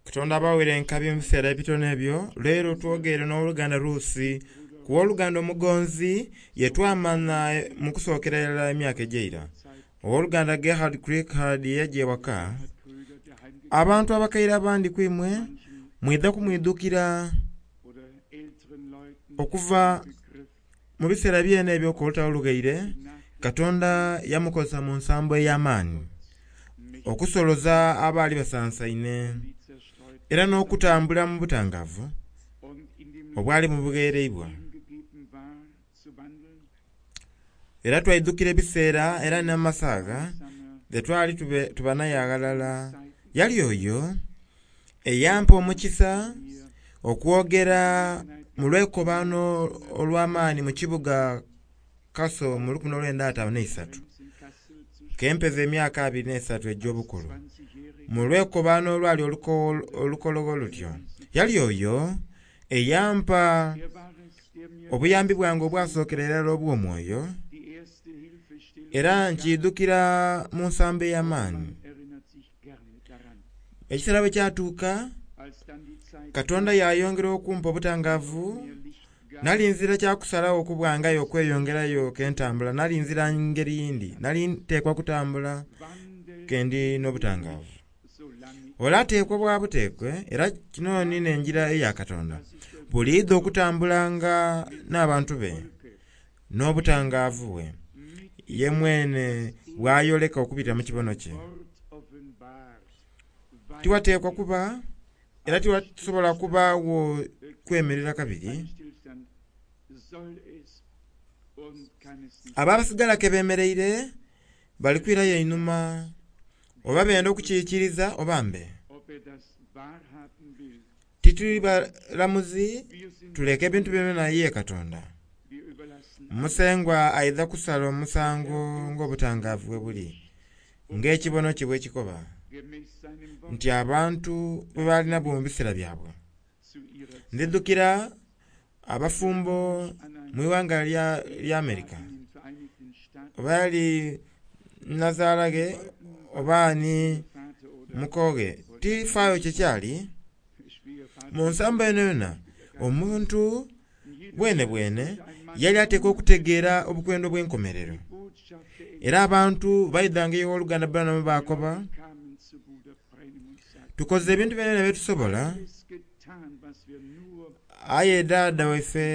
Katonda abawere enkabi mu biseera ebitono ebyo. Leero twogere n'oluganda Ruusi ku woluganda omugonzi ye twamana mu kusookera irala emyaka egyeira. Owoluganda Gerhard Crickard yajja ewaka. Abantu abakaire abandi kwimwe mwidha kumwidhukira okuva mu biseera byene ebyo olutalo lughaire. Katonda yamukozesa mu nsambo ey'amaani okusoloza abaali basansaine era n'okutambula mu butangavu obwali mubughereibwa. Era twaidhukira ebiseera era n'amasaga ge twali tuba naye aghalala. Yali oyo eyampa omukisa okwogera mu lwekobaano olw'amaani mu kibuga Kaso mu 1953, kempeza emyaka 23 egy'obukulu, mu lwekobaano olwali olukologho lutyo. Yali oyo eyampa obuyambi bwange obwasookera irala obw'omwoyo, era nkiidhukira mu nsambo ey'amaani. Ekiseera bwe kyatuuka, Katonda yayongera okumpa obutangaavu. Nali nzira kya kusalagho okubwangayo okweyongerayo kentambula, nali nzira ngeri yindi, nali nteekwa kutambula kendi n'obutangaavu. Ole ateekwa bwa buteekwe, era kino ni n'engira eya Katonda, buliidho okutambulanga n'abantu be n'obutangaavu bwe ye mwene bw'ayoleka okubitira mu kibono kye. Tiwateekwa kuba era tiwasobola kubaagho kwemerera kabiri. Abo abasigala ke bemereire bali kwirayo einhuma, oba benda okukiikiriza oba mbe. Tituli balamuzi, tuleke ebintu byona ye Katonda. Musengwa aidha kusala omusango ng'obutangaavu bwe buli, ng'ekibono kye bwe kikoba nti abantu bwe balina bwo mu biseera byabwe. Ndidhukira abafumbo mu ighanga lya America, oba yali nazaala ghe oba ni mukoghe, tifaayo kyekyali. Mu nsambo eno yona, omuntu bwenebwene yali ateekwa okutegeera obukwenda obw'enkomerero. Era abantu baidhanga ew'oluganda Branham baakoba, tukoze ebintu byona byetusobola, aye dhaadha waife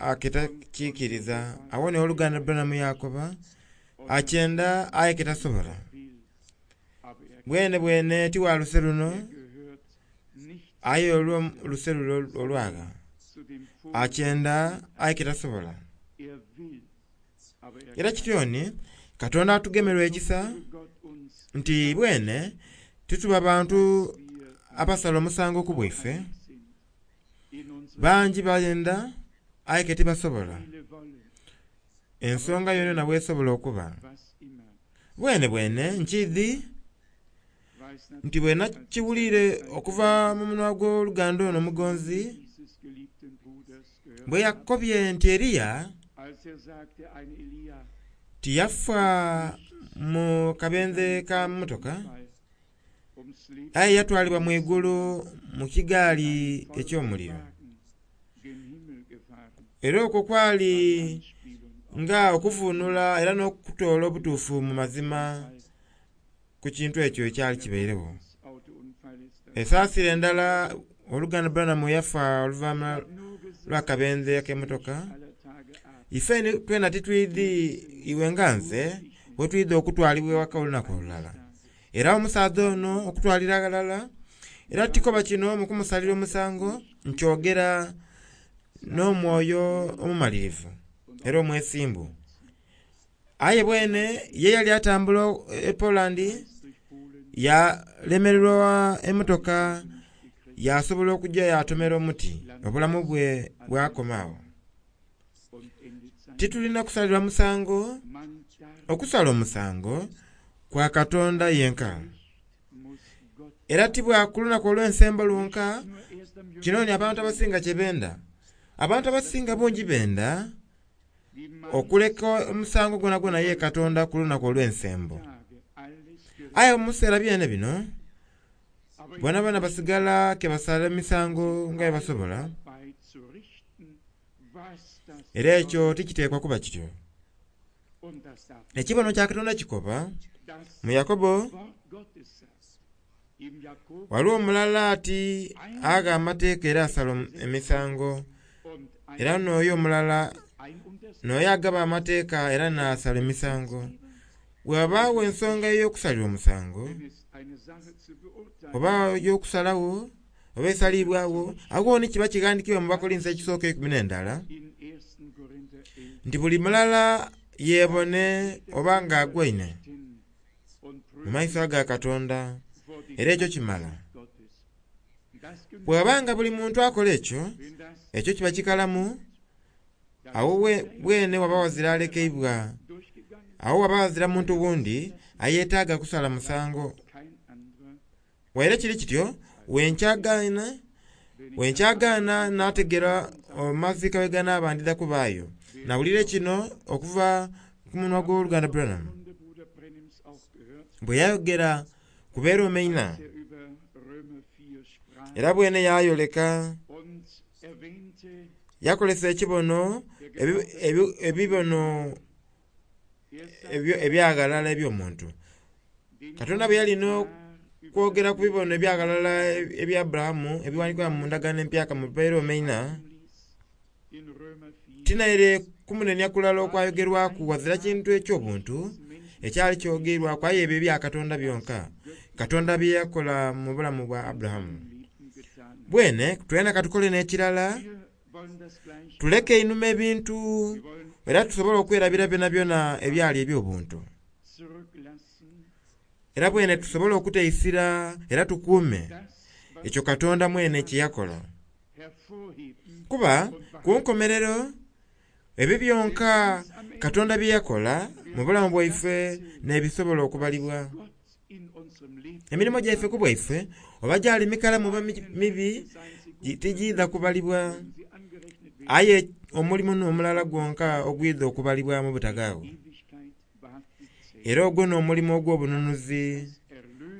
aketakiikiriza. Awo ni ow'oluganda Branham yakoba, akyenda aye ketasobola. Bwenebwene ti wa luse luno, aye olwo luse luno olwagha. Akyenda aye ketasobola. Era kityo ni Katonda atugemerwa ekisa nti bwene tituba bantu abasala omusango ku bwaife. Bangi bayenda aye ke tibasobola. Ensonga yonayona bwesobola okuba. Bwene bwene nkiidhi nti bwe nakiwulire okuva mu munwa gw'oluganda ono omugonzi, bwe yakobye nti Eriya tiyafa mu kabenje ka mmotoka, aye yatwalibwa mu igulu mu kigaali eky'omuliro. Era okwo kwali nga okuvunula era n'okutoola obutuufu mu mazima ku kintu ekyo ekyali kibairegho. Esaasira endala oluganda Branham yafa oluvannyuma lw'akabenje ak'emmotoka. Ife twena titwidhi iwe nga nze bwe twidha okutwalibwa ewaka olunaku olulala. Era omusaadha ono okutwalira aghalala, era tikoba kino mu kumusalira omusango, nkyogera n'omwoyo omumalirivu era omwesimbu. Aye bwene ye yali atambula e Poland, yalemererwa emmotoka, yasobola okujja yatomera omuti, obulamu bwe bwakoma agho. Titulina kusalirwa musango, okusala omusango kwa Katonda yenka. Era ti bwa ku lunaku olw'ensembo lwonka, kino ni abantu abasinga kye benda. Abantu abasinga bungi benda okuleka omusango gwonagwona ye Katonda ku lunaku olw'ensembo. Aye mu biseera byene bino, Bonabona basigala ke basala emisango nga bwe basobola. Era ekyo tikiteekwa kuba kityo. Ekibono kya Katonda kikoba mu Yakobo, waliwo omulala ati agha amateeka era asala emisango, era n'oyo omulala n'oyo agaba amateeka era n'asala emisango. Bw'abaagho ensonga ey'okusalira omusango oba ey'okusalagho oba esalibwagho, agho ni kiba kighandikibwa mu Bakolinso ekisooka 11 nti buli mulala yeebone oba nga agwaine mu maiso aga Katonda, era ekyo kimala. Bw'abanga buli muntu akola ekyo, ekyo kiba kikalamu, awo bwene waba wazira alekeibwa, awo waba wazira muntu wundi ayeetaaga kusala musango. Waire kiri kityo, wenkyagaana n'ategera amazika we ganaaba ndidha kubaayo. Nawulire kino okuva ku munwa gw'oluganda Branham bwe yayogera ku Beeroma 4, era bwene yayoleka yakolesa ekibono ebibono ebyaghalala eby'omuntu. Katonda bwe yalina okwogera ku bibono ebyaghalala ebya Aburahamu ebiwandikibwa mu ndagaano empyaka mu Beeroma 4, tinaire kumunenia kulala okwayogerwaku wazira kintu eky'obuntu ekyali kyogerwaku, aye ebyo ebya Katonda byonka, Katonda bye yakola mu bulamu bwa Aburahamu. Bwene twena katukole n'ekirala, tuleke einhuma ebintu era tusobole okwerabira byonabyona ebyali eby'obuntu. Era bwene tusobole okuteisira era tukuume ekyo Katonda mwene kye yakola. Kuba ku nkomerero ebyo byonka Katonda bye yakola mu bulamu bwaife n'ebisobola okubalibwa. Emirimu gyaife ku bwaife oba gyali mikalamu oba mibi tigiidha kubalibwa, aye omulimu n'omulala gwonka ogwidha okubalibwa mu butagaawo. Era ogwo n'omulimu ogw'obununuzi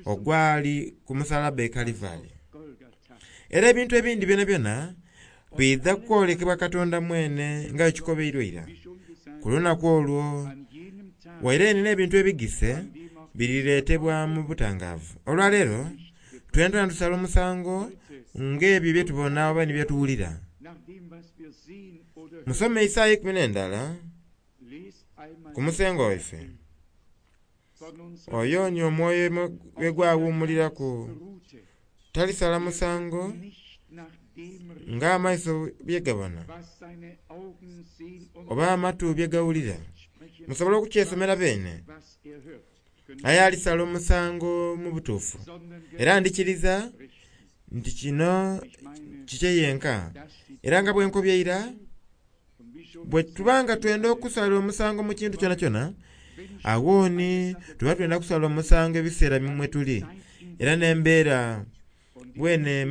ogwali ku musalaba e Kalivari. Era ebintu ebindi byonabyona biidha kwolekebwa Katonda mwene nga ekikobeirwe ira. Ku lunaku olwo waire n'ebintu ebigise birireetebwa mu butangaavu. Olwaleero twena tusala omusango ng'ebyo bye tubona oba ni bye tuwulira. Musome Isaaya 11 ku musengo waife. Oyo ni omwoyo gwe gwawummuliraku, talisala musango ng'amaiso bye gabona oba amatu bye gawulira. Musobola okukyesomera beene, aye alisala omusango mu butuufu. Era ndikiriza nti kino kikye yenka. Era nga bwe nkobye ira, bwe tubanga twenda okusala omusango mu kintu kyonakyona, agho ni tuba twenda kusala omusango ebiseera mwe tuli, era n'embeera bwene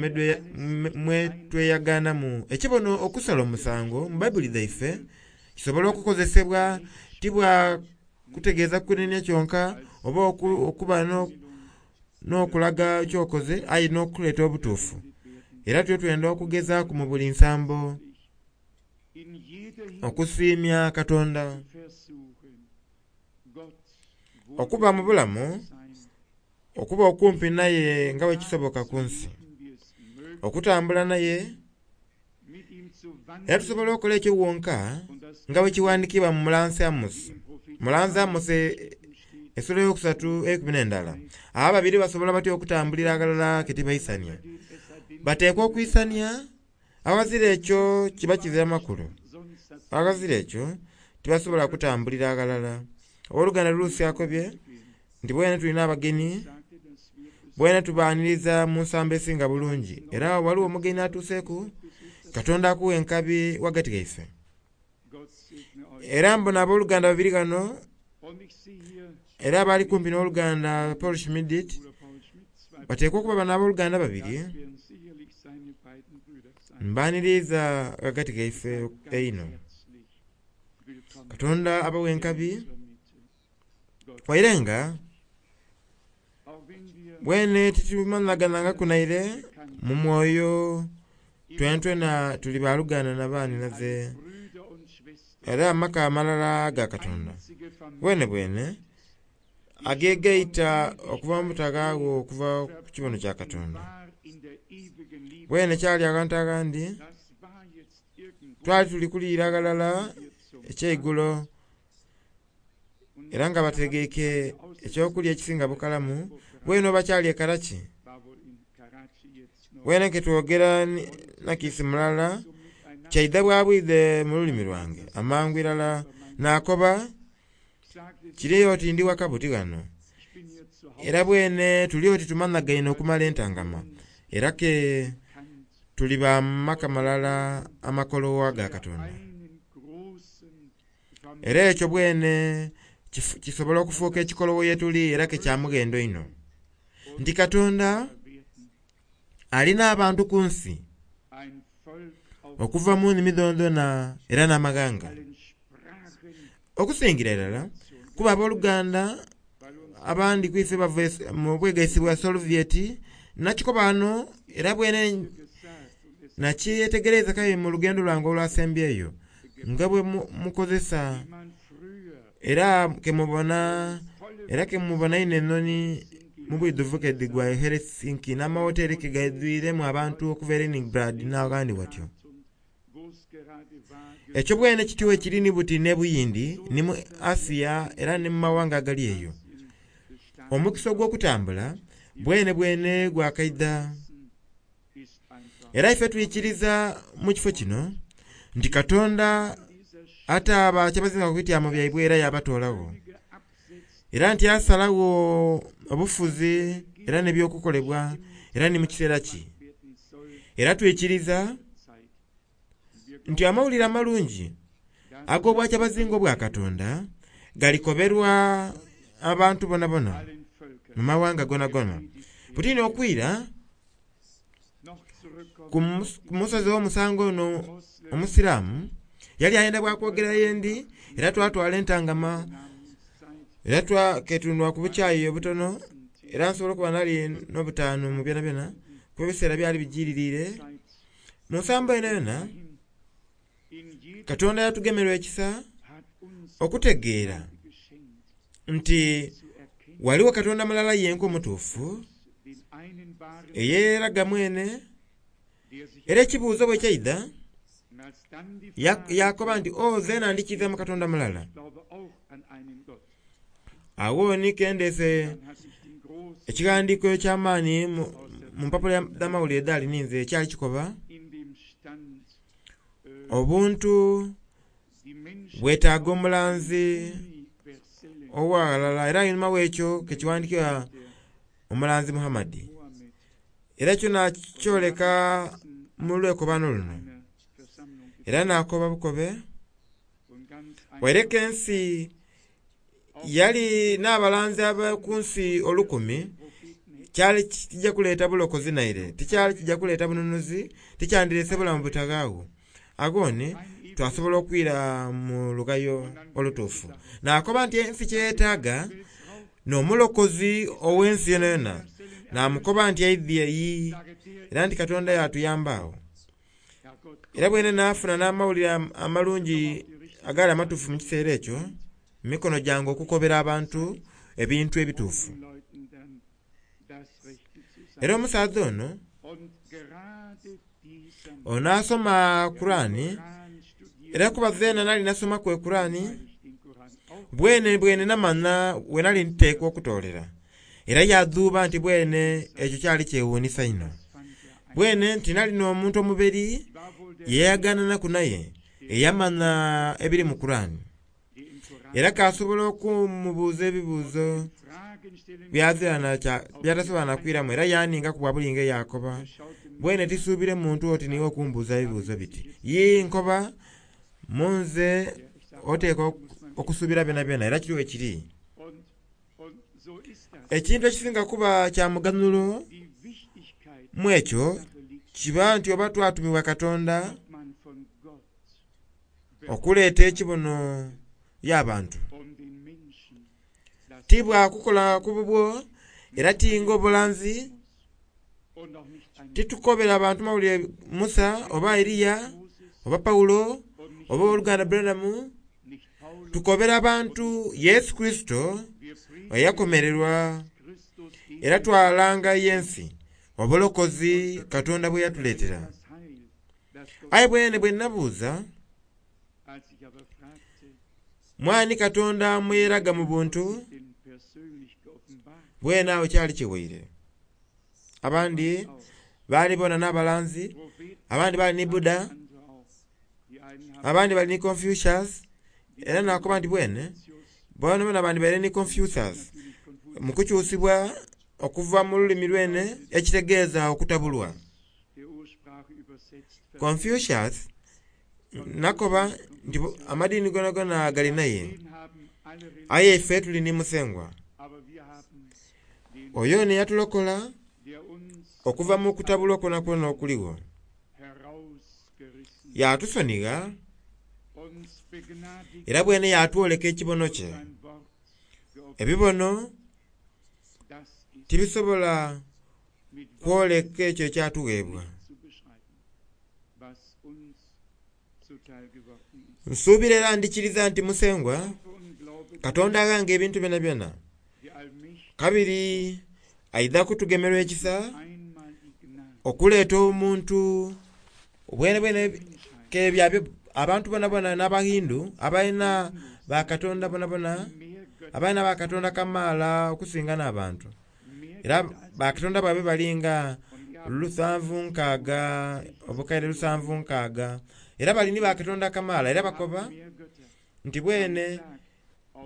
mwe tweyagaanamu. Ekibono okusala omusango mu Bayibuli dhaife kisobola okukozesebwa tibwa kutegeeza kunenia kyonka oba okuba n'okulaga kyokoze, aye n'okuleeta obutuufu. Era tuyo twenda okugezaaku mu buli nsambo okusiimya Katonda, okuba mu bulamu, okuba okumpi naye nga bwe kisoboka ku nsi, okutambula naye. Era tusobola okukola ekyo wonka nga bwe kiwandikibwa mu mulanzi Amosi. Mulanzi Amosi essula eyokusatu 11. Abo babiri basobola batya okutambulira aghalala ke tibaisania? Bateekwa okwisania, aghazira ekyo kiba kizira makulu. Aghazira ekyo tibasobola kutambulira aghalala. Owooluganda Luusi akobye nti bwene tulina abagenyi, bwene tubaaniriza mu nsambo esinga bulungi. Era waliwo omugenyi atuuseeku, Katonda akuwa enkabi ghagati ghaife. Era mbona abooluganda babiri ghano, era abali kumpi n'oluganda Paul Schmidit, bateekwa okuba bano abooluganda babiri, mbaaniriza ghagati ghaife einho. Katonda abawa enkabi, waire nga Bwene titumanhaganangaku naire mu mwoyo twenatwena tuli baluganda na banhinaze era amaka amalala aga Katonda bwene bwene agegaita okuva mu butaghaagho okuva ku kibono kya Katonda. Bwene kyali aghantu aghandi twali tuli kuliira ghalala ekyeigulo era nga bategeike ekyokulya ekisinga bukalamu bwene oba kyali e Karachi. Bwene ke twogera nakiisi mulala kyaidha bwa bwidhe mu lulimi lwange amangu irala nakoba kiri oti ndi waka buti ghano era bwene tuli oti tumanhagaine okumala entangama era ke tuli ba maka malala amakolowa aga Katonda. Era ekyo bwene kisobola okufuuka ekikolowo ye tuli era ke kya mughendo inho nti Katonda alina abantu ku nsi okuva mu nnimi dhonadhona era n'amaghanga okusingira irala kuba abooluganda abandi ku ife bava mu bwegaisi bwa Soviet nakikoba ghano era bwene nakyetegereza kaye mu lugendo lwange olwasembyeyo nga bwe mukozesa era kemubona inho enhonhi mu bwidhuvu ke dhigwa e Helsinki n'amawoteri ke gaidhwiremu abantu okuva e Leningrad n'aghandi watyo. Ekyo bwene kityo ekiri ni buti n'e Buyindi ni mu Asia era ni mu mawanga agali eyo. Omukisa ogw'okutambula bwene bwene gwakaidha era ife twikiriza mu kifo kino nti Katonda ate kyabazinga ku bityamo byaibwe era yabatoolagho era nti asalagho obufuzi era n'ebyokukolebwa era ni mu kiseera ki. Era twikiriza nti amawulire amalungi ag'obwakyabazinga obwa Katonda galikoberwa abantu bonabona mu mawanga gonagona. Buti n'okwira ku musozi ow'omusango ono omusiraamu yali ayenda bwa kwogera yendi era twatwala entangama era twaketundwa ku bukyayi obutono era nsobola okuba nali n'obutaanu mu byonabyona kuba ebiseera byali bijiririire. Mu nsambo eno yona Katonda yatugemerwa ekisa okutegeera nti waliwo Katonda mulala yenka omutuufu eyeraga mwene era ekibuuzo bwe kyaidha yakoba nti o zeena ndikiiza mu Katonda mulala. Agho ni kendeese ekighandiiko eky'amaani mu mpapula dh'amawulire edhaali ninze ekyali kikoba obuntu bwetaaga omulanzi ow'aghalala era einhuma w'ekyo kekighandikibwa omulanzi Muhammadi. Era ekyo nakyoleka mu lwekobano luno era nakoba bukobe waireka ensi yali n'abalanzi ab'oku nsi olukumi kyali kijja kuleeta bulokozi naire tikyali kijja kuleeta bununuzi tikyandireese bulamu butaghaagho. Agho ni twasobola okwira mu lughayo olutuufu nakoba nti ensi kyeyetaaga n'omulokozi ow'ensi yonayona namukoba nti aidhie iyi era nti Katonda yatuyamba agho. Era bwene nafuna n'amawulire amalungi agaali amatuufu mu kiseera ekyo mu mikono gyange okukobera abantu ebintu ebituufu. Era omusaadha ono ono asoma Kurani era kuba zeena nali nasomaku Ekurani bwene bwene namanha we nali nteekwa okutoolera era yadhuuba nti bwene ekyo kyali kyewuunisa inho. Bwene nti nali n'omuntu omuberi yeyayagananaku naye eyamanha ebiri mu Kurani era kasobola okumubuuza ebibuuzo byatasobola na kwiramu era yaningaku bwa bulinga yakoba bwene tisuubire muntu oti niiwe okumbuuza ebibuuzo biti. Yii nkoba munze oteekwa okusuubira byonabyona era kiri bwe kiri. Ekintu ekisinga kuba kya muganhulo mu ekyo kiba nti oba twatumibwa Katonda okuleeta ekibono y'abantu. Ti bwa kukola ku bubwo Era tinga obulanzi, titukobera abantu mawulire Musa oba Eriya oba Pawulo oba ow'oluganda Branham. Tukobera abantu Yesu Kristo eyakomererwa, era twalanga y'ensi obulokozi Katonda bwe yatuleetera. Aye bwene bwe nabuuza, mwani Katonda mweraga mu buntu, bwene awo kyali kiwaire. Abandi baali bona n'abalanzi, abandi baali ni Buddha, abandi bali ni Confucius, era nakoba nti bwene bona bona bandibaire ni Confucius mu kukyusibwa okuva mu lulimi lwene ekitegeeza okutabulwa. Confucius nakoba nti amadiini gonagona gali naye, aye ife tuli ni Musengwa. Oyo neyatulokola okuva mu kutabulwa kwonakwona okuligho, yatusonigha era bwene yatwoleka ekibono kye. Ebibono tibisobola kwoleka ekyo ekyatugheebwa. Nsuubira era ndikiriza nti Musengwa Katonda aghanga ebintu byonabyona. Kabiri aidha kutugemerwa ekisa okuleeta omuntu bwenebwene kebyabyo abantu bonabona n'Abahindu abalina bakatonda bonabona, abalina bakatonda kamaala okusinga n'abantu. Era bakatonda baibwe balinga 760, obukaire 76. Era bali ni bakatonda kamaala era bakoba nti bwene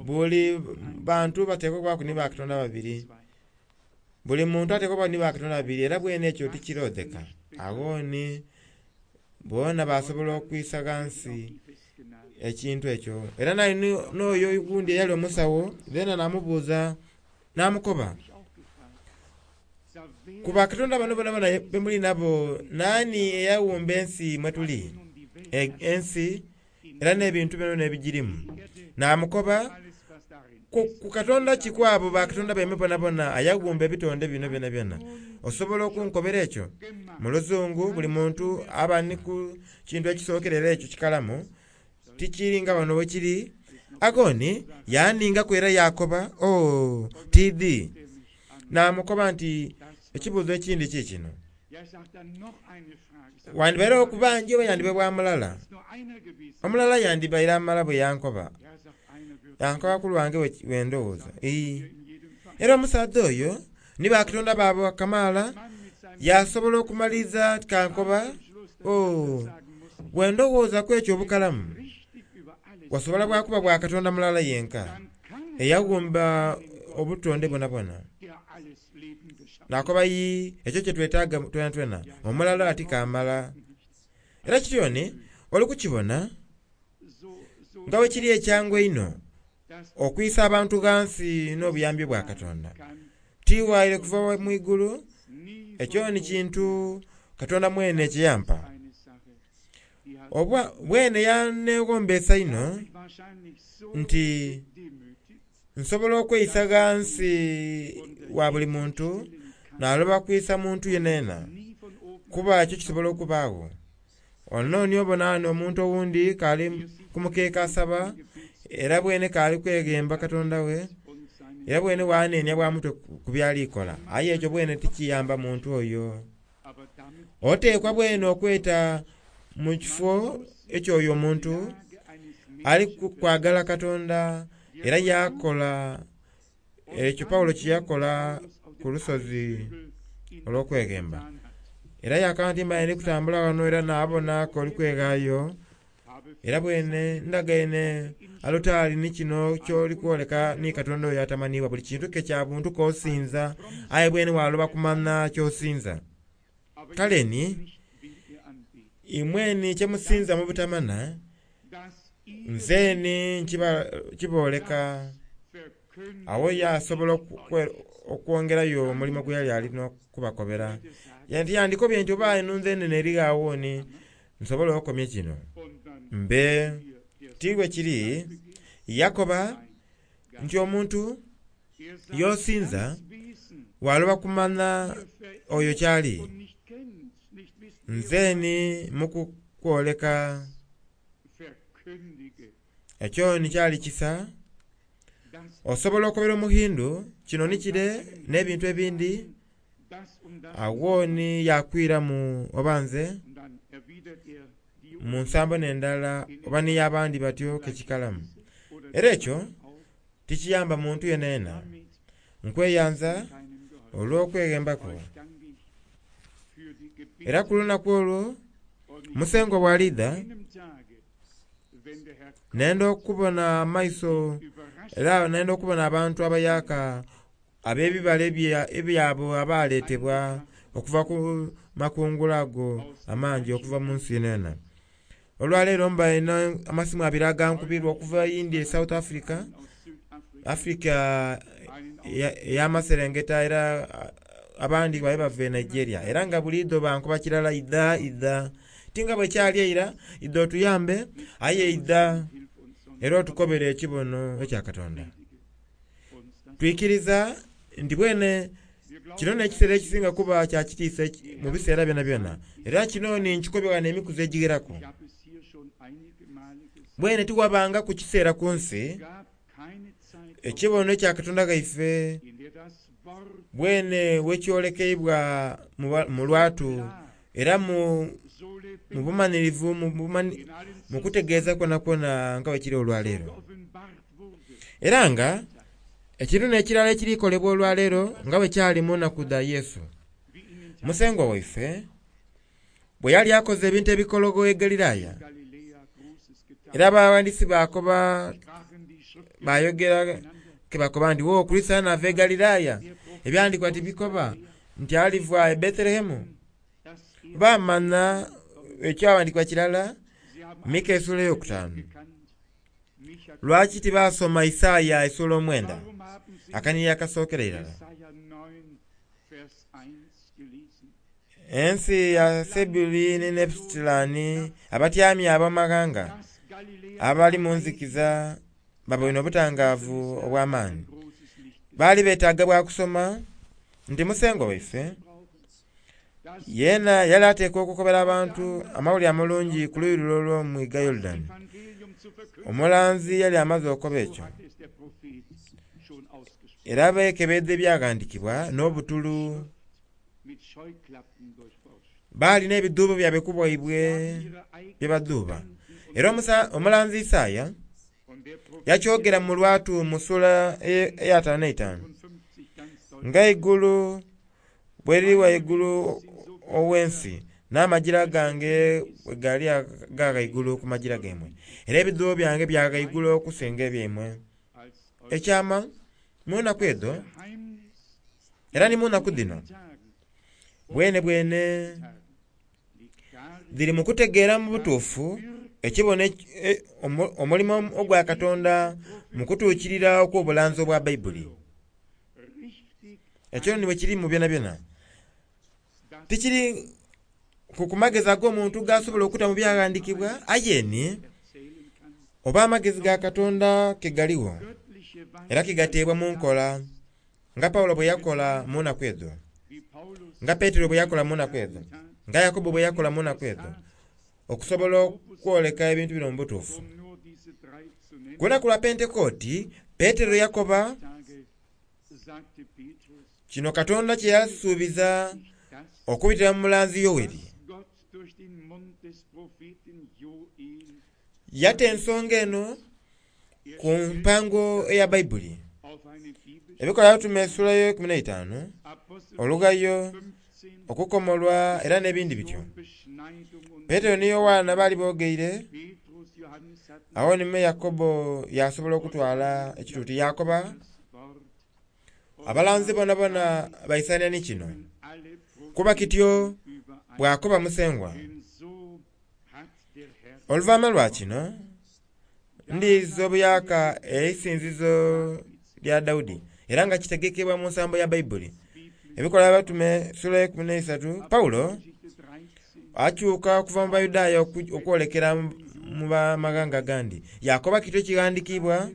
buli bantu bateekwa okubaku ni bakatonda babiri. Buli muntu ateekwa okuba ni bakatonda babiri era bwene ekyo tikiroodheka. Agho ni boona basobola okwisa ghansi ekintu ekyo. Era nali n'oyo ogundi eyali omusawo zeena namubuuza namukoba, ku bakatonda bano bonabona bemuli nabo naani eyaghumba ensi mwe tuli? Ensi era n'ebintu byonabyona ebigirimu. Namukoba, ku katonda ki ku abo bakatonda baimwe bonabona ayaghumba ebitonde bino byonabyona? Osobola okunkobera ekyo? Mu luzungu buli muntu aba ni ku kintu ekisookera era ekyo kikalamu, tikiri nga wano bwekiri. Agho ni yaaningaku era yaakoba, Oh, tiidhi. Naamukoba nti, Ekibuuzo ekindi kiikino. Wandibaire okuba nje oba yandiba bwa mulala? Omulala yandibaire amala bwe yankoba. Yankoba ku lwange bwe ndowooza. Ii. Era omusaadha oyo ni bakatonda baabwe kamaala yaasobola okumaliriza kankoba, Oh, bwe ndowooza ku ekyo obukalamu, wasobola bwa kuba bwa Katonda mulala yenka eyaghumba obutonde bwonabwona. Nakoba, Yii, ekyo kye twetaaga twenatwena, omulala ati kaamala. Era kityo ni oli kukibona nga bwe kiri ekyangu einho okwisa abantu ghansi n'obuyambi bwa Katonda. Tiwaire kuva mu igulu, ekyo ni kintu Katonda mwene kye yampa. Oba bwene yaneegombeesa inho nti nsobola okweisa ghansi wa buli muntu naloba kwisa muntu yenayena, kuba ekyo kisobola okubaagho. Ono ni obona ghano omuntu owundi k'ali ku mukeeka asaba, era bwene k'ali kweghemba Katonda we, era bwene bwanenia bwa mutwe ku byali kola. Aye ekyo bwene tikiyamba muntu oyo. Oteekwa bwene okweta mu kifo eky'oyo omuntu ali kwagala Katonda era yaakola ekyo Paulo kye yakola ku lusozi olw'okweghemba. Era yaakaba nti mbaire ndi kutambula ghano era naabona k'oli kweghaayo, era bwene ndagaine alutaari ni kino ky'oli kwoleka ni Katonda oyo atamanhiibwa. Buli kintu ke kya buntu k'osinza, aye bwene waaloba kumanha ky'osinza. Kale ni, imwe ni kye musinza mu butamanha, nze ni nkibooleka. Agho yaasobola okwongerayo omulimo gwe yali ali n'okubakobera. Yandikobye nti oba eno nze nene eri ghagho ni nsobola okomya kino. Mbe ti bwe kiri, yakoba nti omuntu y'osinza. waloba kumanha oyo kyali. Nzeeni mu kukwoleka ekyo ni kyali kisa. Osobola okobera Omuhindu kino ni kire n'ebintu ebindi, agho ni yakwiramu oba nze mu nsambo n'endala oba ni abandi batyo kekikalamu. Era ekyo tikiyamba muntu yenayena. Nkweyanza olw'okweghembaku. Era ku lunaku olwo Musengwa bw'alidha, nenda okubona amaiso era nenda okubona abantu abayaka ab'ebibala ebyabo abaletebwa okuva ku makungula ago amangi okuva mu nsi yenayena. Olwaleero mbaine amasimu abiri agankubirwa okuva India e South Africa, Africa ey'amaserengeta, era abandi babe bava e Nigeria. Era nga buliidho bankuba kirala idha idha tinga bwekyali eira, idha otuyambe, aye idha era otukobere ekibono ekya Katonda. Twikiriza nti bwene kino n'ekiseera ekisinga kuba kya kitiisa mu biseera byonabyona. Era kino ni nkikobya n'emikuzi egigheraku. Bwene tiwabangaku kiseera ku nsi ekibono ekya Katonda ghaife bwene wekyolekeibwa mu lwatu era mu bumanhirivu, mu kutegeeza kwonakwona nga bwekiri olwaleero. Era nga ekintu n'ekirala ekiri kolebwa olwaleero nga bwe kyali mu nnaku dha Yesu. Musengwa waife bwe yali akoze ebintu ebikologo e Galilaya, era abawandiisi bakoba bayogera ke bakoba nti wo Kristo anaava e Galilaya, ebyandikwa tibikoba nti aliva e Bethlehemu. Bamanya ekyawandikwa kirala, Mika esula eyokutaano. Lwaki tibasoma Isaaya esula 9 akanhiriri akasookera irala? Ensi ya Sebuli ni Nefutilani, abatyamye ab'amaghanga abali mu nzikiza baboine obutangaavu obw'amaani. Baali beetaaga bwa kusoma nti Musengwa waife yeena yali ateekwa okukobera abantu amawulire amalungi ku luuyi lule olw'omwiga Yorudani. Omulanzi yali amaze okukoba ekyo. Era beekebedha ebyaghandikibwa n'obutulu. Baali n'ebidhuubo byabwe ku bwaibwe bye badhuuba. Era omulanzi Isaaya yakyogera mu lwatu mu sula eya 55, nga eigulu bwe liri ghaigulu ow'ensi, n'amagira gange bwe gali aga ghaigulu ku magira gaimwe, era ebidhuubo byange bya ghaigulu okusinga ebyaimwe. Ekyama mu nnaku edho era ni mu nnaku dhino bwene bwene dhiri mu kutegeera mu butuufu ekibono omulimo ogwa Katonda mu kutuukirira okw'obulanzi obwa Baibuli. Ekyo ni bwe kiri mu byonabyona. Tikiri ku kumagezi ag'omuntu gasobola okuta mu byaghandikibwa, aye ni oba amagezi ga Katonda ke galigho era ke gateebwa mu nkola nga Paulo bwe yakola mu nnaku edho, nga Petero bwe yakola mu nnaku edho, nga Yakobo bwe yakola mu nnaku edho, okusobola okwoleka ebintu bino mu butuufu. Ku lunaku lwa Pentekooti, Petero yakoba kino Katonda kye yasuubiza okubitira mu mulanzi Yoweri. Yata ensonga eno ku mpango eya Baibuli. Ebikolwa Abatume esula yo 15, olugayo, okukomolwa era n'ebindi bityo. Petero ni Yowaana baali boogeire, agho ni Yakobo yasobola okutwala ekituuti yakoba abalanzi bonabona baisania ni kino. Kuba kityo bw'akoba Musengwa. Oluvannyuma lwa kino ndiiza obuyaka eisinzizo lya Daudi era nga kitegekebwa mu nsambo ya Baibuli. Ebikolwa Abatume sula 13, Paulo akyuka okuva mu Bayudaaya okwolekera mu bamaghanga agandi. Yakoba kityo ekighandikibwa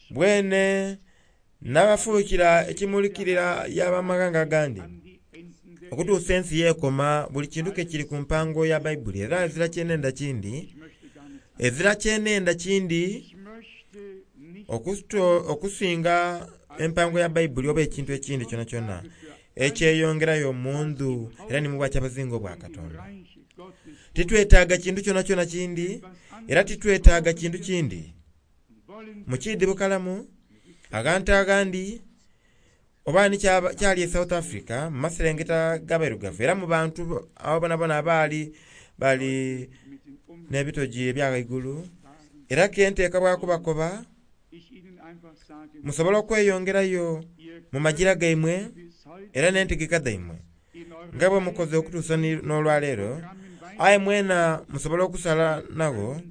bwene. Nabafuukira ekimulikirira y'abamaghanga agandi okutuusa ensi yeekoma. Buli kintu ke kiri ku mpango ya Baibuli era ezira kyenenda kindi, ezira kyenenda kindi okusinga empango ya Baibuli oba ekintu ekindi kyonakyona ekyeyongerayo mu ndhu era ni mu bwakyabazinga obwa Katonda. Titwetaaga kintu kyonakyona kindi era titwetaaga kintu kindi. Mu kiidhi bukalamu aghantu aghandi oba ni kyali e South Africa mu maserengeta g'abairugavu era mu bantu abo bonabona abaali bali n'ebitogi ebya ghaigulu era kenteeka bwakubakoba musobola okweyongerayo mu magira gaimwe era n'entegeka dhaimwe nga bwe mukoze okutuusa n'olwaleero. Aye mwena musobola okusala nagho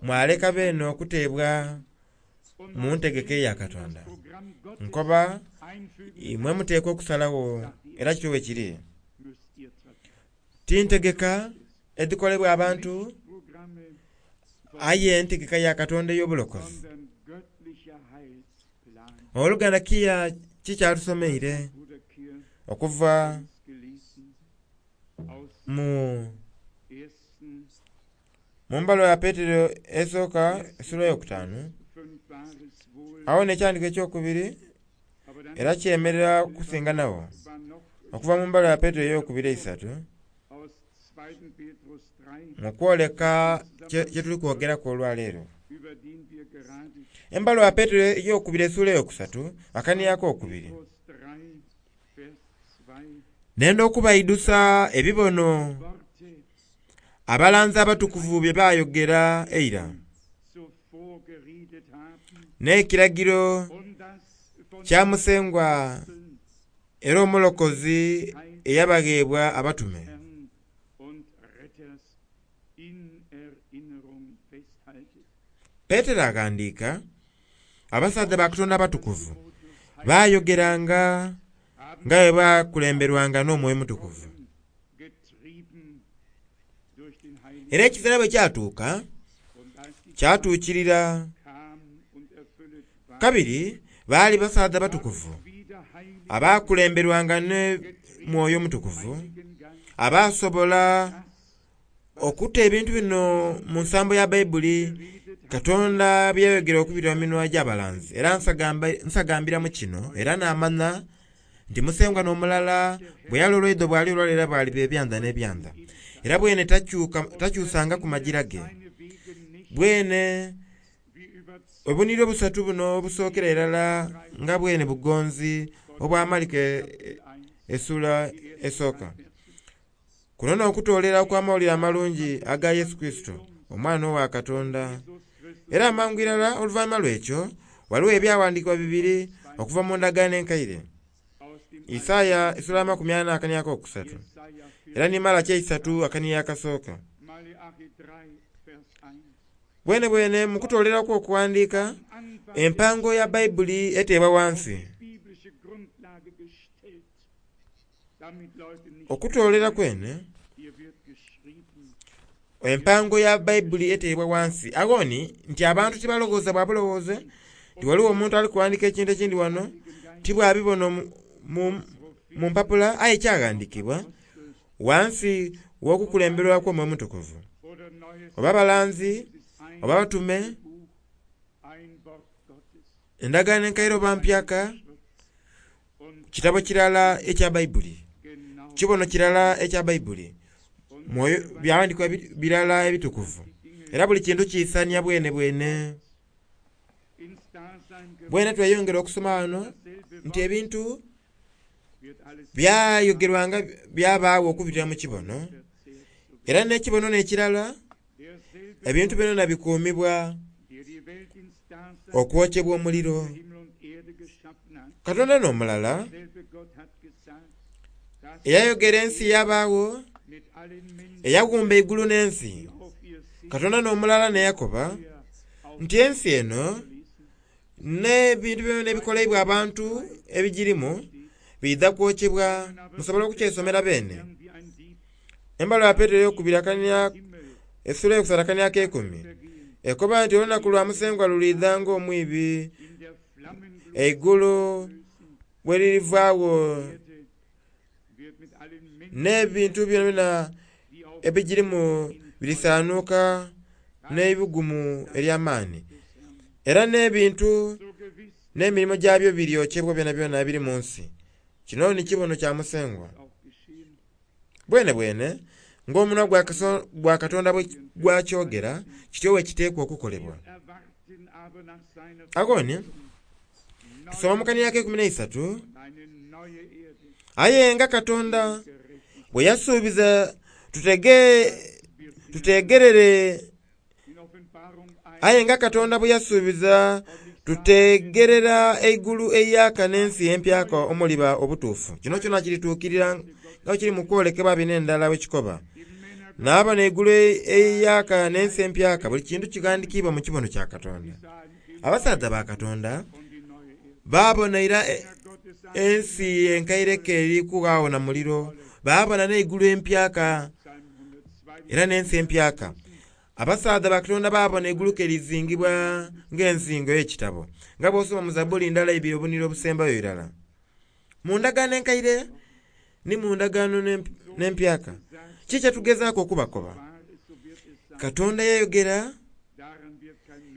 mwaleka beene okuteebwa mu ntegeka eya Katonda. Nkoba imwe muteekwa okusalagho era kityo bwe kiri. Ti ntegeka edhikolebwa abantu aye entegeka ya Katonda ey'obulokozi. Oluganda Kiya kikyatusomeire okuva mu mumbaluwa ya Petero esooka esula eyokutaanu awo n'ekyandiko ekyokubiri era kyemerera kusinga nagho okuva mu mbaluwa ya Petero eyokubiri eisatu mu kwoleka kye tuli kwogeraku olwaleero. Embaluwa ya Petero eyokubiri esula eyokusatu akaniako okubiri. Nenda okubaidusa ebibono abalanzi abatukuvu bye bayogera eira n'ekiragiro kya Musengwa era omulokozi eyabagheebwa abatume. Petero aghandiika abasaadha ba Katonda abatukuvu bayogeranga nga bwe bakulemberwanga n'Omwoyo Mutukuvu. Era ekiseera bwe kyatuuka kyatuukirira. Kabiri baali basaadha batukuvu abakulemberwanga ne Mwoyo Mutukuvu abasobola okuta ebintu bino mu nsambo ya Baibuli Katonda byayogera okubirira mu minwa gy'abalanzi. Era nsagambiramu kino era naamanya nti Musengwa n'omulala bwe yali olwaidho bwali olwaleero bwaliba ebyanda n'ebyanda. Era bwene takyusanga ku magira ge. Bwene obunire obusatu buno obusookera irala nga bwene bugonzi obwamalika esula esooka. Kuno n'okutoolera okw'amawulire amalungi aga Yesu Kurisito omwana owa Katonda. Era amangu irala oluvannyuma lw'ekyo waliwo ebyawandiikibwa bibiri okuva mu ndagaano enkaire. Isaaya esula 40 akaniako okusatu era ni Malaki 3 akaniya akasooka. Bwene bwene mu kutooleraku okuwandiika empango ya Baibuli eteebwa wansi. Okutoolera kwene empango ya Baibuli eteebwa wansi. Aghoni nti abantu tibalowooza bwa bulowooze nti waliwo omuntu ali kuwandiika ekintu ekindi wano tibwabibona mu mpapula aye kyaghandiikibwa wansi w'okukulemberwa kw'Omwoyo Mutukuvu oba abalanzi oba abatume endagaano enkaire oba mpyaka kitabo kirala ekya Baibuli kibono kirala ekya Baibuli mwoyo byawandiikibwa birala ebitukuvu era buli kintu kiisania bwene bwene. Bwene tweyongera okusoma wano nti ebintu byayogerwanga byabaawo okubirira mu kibono era n'ekibono n'ekirala ebintu byona bikuumibwa okwokyebwa omuliro. Katonda n'omulala eyayogera ensi yabaawo eyawumba eigulu n'ensi. Katonda n'omulala neyakoba nti ensi eno n'ebintu byona ebikoleibwa abantu ebigirimu biidha kwokyebwa. Musobola okukyesomera beene. Embaluwa ya Petero eyokubiri akania esula eyokusatu akania ak'eikumi ekoba nti olunaku lwa Musengwa luliidha ng'omwibi. Eigulu bwe lirivaagho n'ebintu byonabyona ebigirimu birisanuka n'eibugumu ely'amaani. Era n'ebintu n'emirimo gyabyo biryokyebwa byonabyona ebiri mu nsi. Kino ni kibono kya Musengwa. Bwenebwene ng'omunhwa gwa Katonda bwe gwakyogera, kityo bwe kiteekwa okukolebwa. Agho ni tusoma mu kanhiriri ak'eikumi n'eisatu, aye nga Katonda bwe yasuubiza tutegerere aye nga Katonda bwe yasuubiza tutegerera eigulu eiyaaka n'ensi empyaka omuliba obutuufu. Kino kyona kirituukirira nga bwe kiri mu kwolekebwa bino endala bwe kikoba. Naabona eigulu eiyaaka n'ensi empyaka, buli kintu kighandikiibwa mu kibono kya Katonda. Abasaadha ba Katonda baabona ira ensi enkaire k'eri kughagho na muliro, baabona n'eigulu empyaka era n'ensi empyaka. Abasaadha ba Katonda baabona eigulu ke lizingibwa ng'enzingo ey'ekitabo, nga bw'osoma mu Zabbuli ndala ibiri obunhiriri obusembayo irala. Mu ndagaano enkaire ni mu ndagaano n'empyaka, kiki kye tugezaaku okubakoba? Katonda yayogera,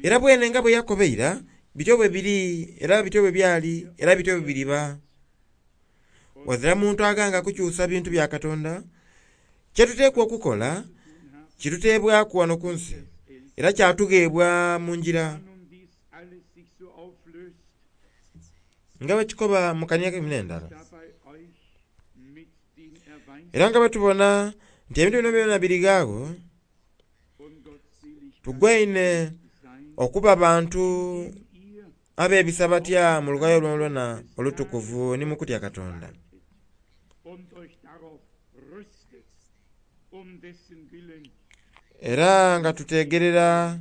era bwene nga bwe yakoba eira, bityo bwe biri, era bityo bwe byali, era bityo bwe biriba. Ghazira muntu aghanga kukyusa bintu bya Katonda. Kye tuteekwa okukola kituteebwaku ghano ku nsi, era kyatugheebwa mu ngira. Nga bwe kikoba mu kania k'eikumi n'endala. Era nga bwe tubona nti ebintu bino byona biri ghagho, tugwaine okuba bantu abebisa batya mu lughayo lwonalwona olutukuvu ni mu kutya Katonda. Era nga tutegerera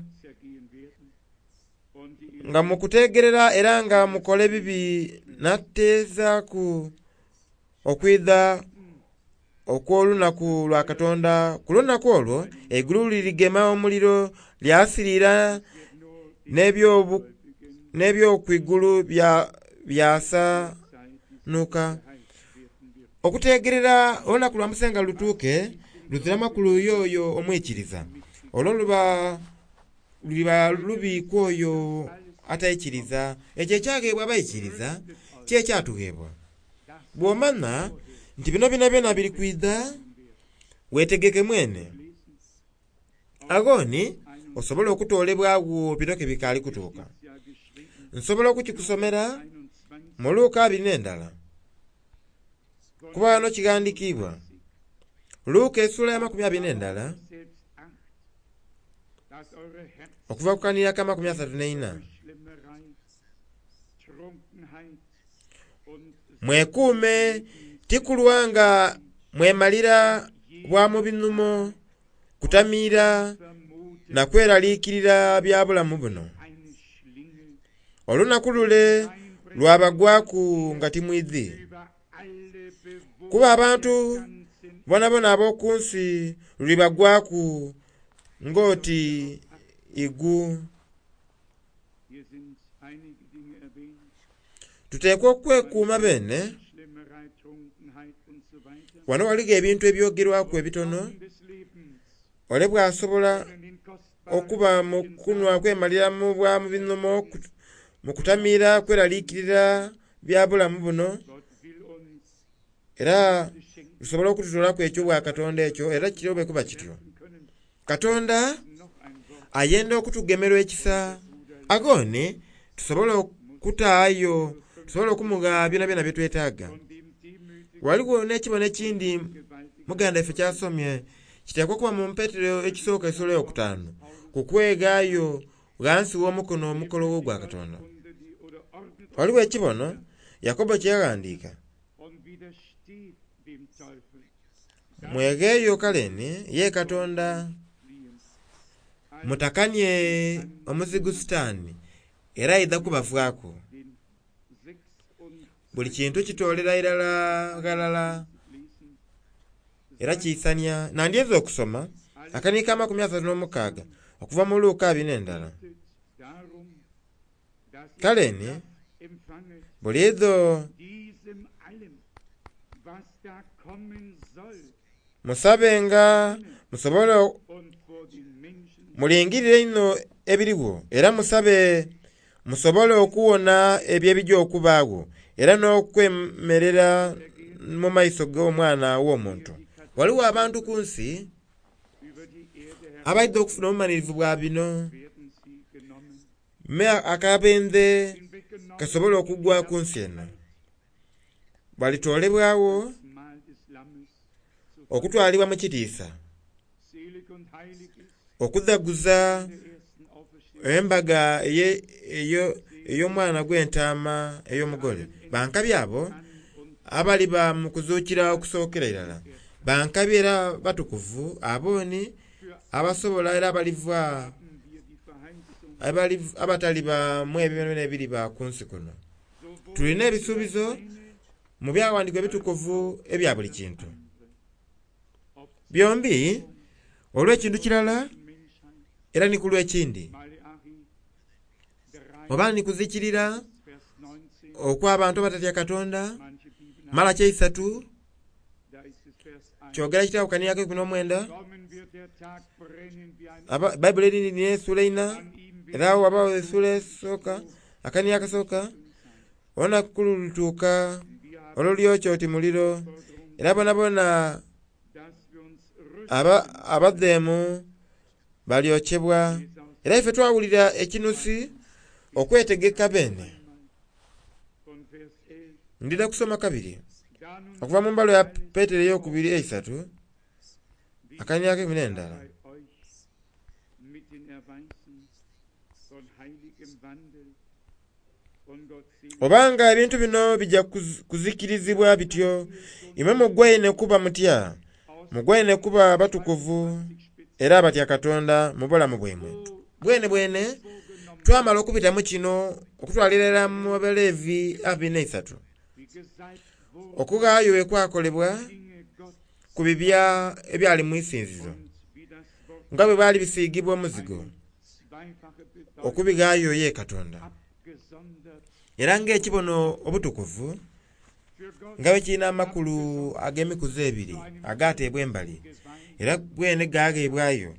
nga mukutegerera era nga mukola ebibi nateezaaku okwidha okw'olunaku lwa Katonda. Ku lunaku olwo eigulu lirigema omuliro lyasirira n'ebyokwigulu byasanuka. Okutegerera olunaku lwa Musenga lutuuke luzira makulu y'oyo omwikiriza. Olwo luba luliba lubi ku oyo ataikiriza. Ekyo ekyagheebwa abaikiriza kye kyatugheebwa. Bw'omanha nti bino byonabyona biri kwidha, weetegeke mwene. Agho ni osobole okutoolebwagho bino ke bikaali kutuuka. Nsobola okukikusomera mu Luka abiri n'endala, kuba ghano kighandikiibwa. Luka esula ya makumi abiri n'endala okuva ku kanhiriri ak'amakumi asatu n'eina. Mwekuume tikulwa nga mwemalira bwa mu binhumo, kutamiira na kweraliikirira bya bulamu buno. Olunaku lule lwabagwaku nga timwidhi. Kuba abantu bonabona ab'oku nsi lulibagwaku ng'oti igu. Tuteekwa okwekuuma bene. Wano ghaligho ebintu ebyogerwaku ebitono, ole bw'asobola okuba mu kunhwa kwemalira mu bwa mu binhumo, mu kutamiira kweraliikirira bya bulamu buno, era lusobola okututoolaku eky'obwa Katonda ekyo, era kirobe kuba kityo. Katonda ayenda okutugemerwa ekisa. Agho ni tusobole okutaayo, tusobole okumugha byonabyona bye twetaaga. Ghaligho n'ekibono ekindi muganda ife kyasomye, kiteekwa okuba mu Petero ekisooka esula eyokutaanu, ku kweghaayo ghansi w'omukono omukologho gwa Katonda. Ghaligho ekibono Yakobo kye yaghandiika. Mwegheeyo kale ni ye Katonda, mutakanie omuzigu Sitaani, era aidha kubavaaku. Buli kintu kitoolera irala ghalala era kiisania. Nandyenze okusoma akaniiko k'amakumi asatu n'omukaaga okuva mu Luka abiri n'endala. Kale ni Buliidho musabenga musobole mulingirire inho ebirigho era musabe musobole okuwona ebyo ebija okubaagho era n'okwemerera mu maiso g'Omwana w'Omuntu. Ghaligho abantu ku nsi abaidha okufuna obumalirivu bwa bino, me akabenje kasobole okugwa ku nsi eno. Balitoolebwagho okutwalibwa mu kitiisa, okudhaguza embaga ey'omwana gw'entaama ey'omugole. Bankabi abo abaliba mu kuzuukira okusookera irala. Bankabi era batukuvu abo ni abasobola era abaliva abataliba mu ebyo byonabyona ebiriba ku nsi kuno. Tulina ebisuubizo mu byawandiikibwa ebitukuvu ebya buli kintu. Byombi olw'ekintu kirala era ni ku lw'ekindi. Oba ni kuzikirira okw'abantu abatatya Katonda, Malaki eisatu kyogera kitawukaniraku eikumi n'omwenda. Baibuli erindi nina essuula eina era agho ghabagho essuula esooka akaniiro akasooka. Olunaku lulituuka olulyokya oti muliro, era boonaboona abadheemu balyokyebwa. Era ife twawulira ekinusi okwetegeka beene. Ndidha kusoma kabiri okuva mu mbaluwa ya Petero ey'okubiri eisatu akaniiro ak'eikumi n'endala. Obanga ebintu bino bija kuzikirizibwa bityo, imwe mugwaine kuba mutya? Mugwaine kuba batukuvu era abatya Katonda mu bulamu bwaimwe. Bwene bwene twamala okubita mu kino okutwalira irala mu Abalevi abiri n'eisatu. Okughaayo bwe kwakolebwa ku bibya ebyali mu isinzizo, nga bwe bwali bisiigibwa omuzigo okubighaayo ye Katonda. Era ng'ekibono obutukuvu nga bwe kirina amakulu ag'emikuzi ebiri agateebwa embali, era gwene gagheebwayo,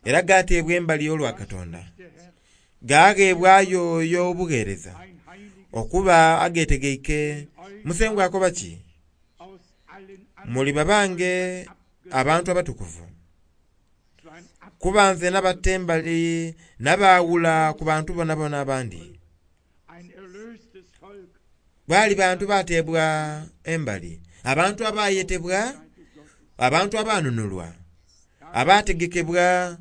era gateebwa embali olwa Katonda. Gagheebwayo y'obugheereza okuba agetegeike. Musengwa akoba ki? Muli babange abantu abatukuvu, kuba nze nabata embali nabaawula ku bantu boonaboona abandi. Baali bantu bateebwa embali, abantu abayetebwa, abantu abanunulwa, abategekebwa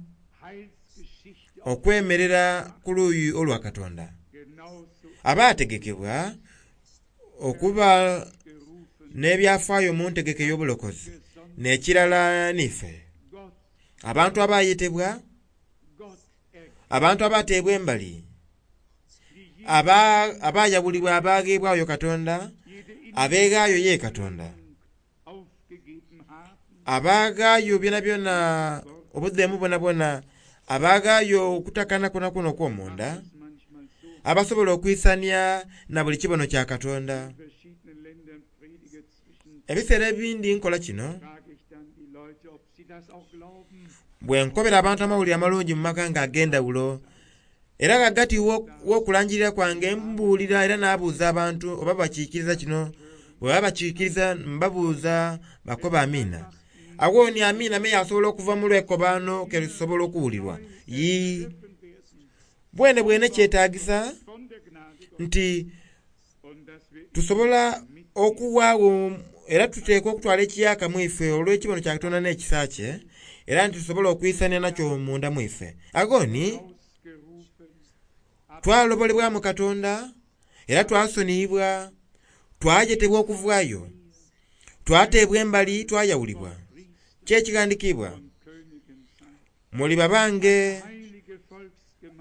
okwemerera ku luuyi olwa Katonda, abategekebwa okuba n'ebyafaayo mu ntegeka ey'obulokozi. N'ekirala n'ife, abantu abayetebwa, abantu abateebwa embali, abayawulibwa abagheebwayo Katonda, abeeghaayo ye Katonda, abaghaayo byonabyona obudheemu bwonabwona, abaghaayo okutakana kwonakwo okw'omunda, abasobola okwisania na buli kibono kya Katonda. Ebiseera ebindi nkola kino bwe nkobera abantu amawulire amalungi mu maghanga ag'endhawulo, era ghagati w'okulangirira kwange mbuulira era n'abuuza abantu oba bakiikiriza kino. Bwe baba bakiikiriza mbabuuza bakoba amiina. Agho ni amiina me yasobola okuva mu lwekobaano ke lusobola okuwulirwa. Yii. Bwene bwene kyetaagisa nti tusobola okuwaagho era tuteekwa okutwala ekiyaka mu ife olw'ekibono kya Katonda n'ekisa kye, era nti tusobola okwisania nakyo munda mu ife. Agho ni twalobolebwamu Katonda era twasoniyibwa, twajetebwa okuvaayo, twateebwa embali twayawulibwa. Ky'ekighandikiibwa, muli babange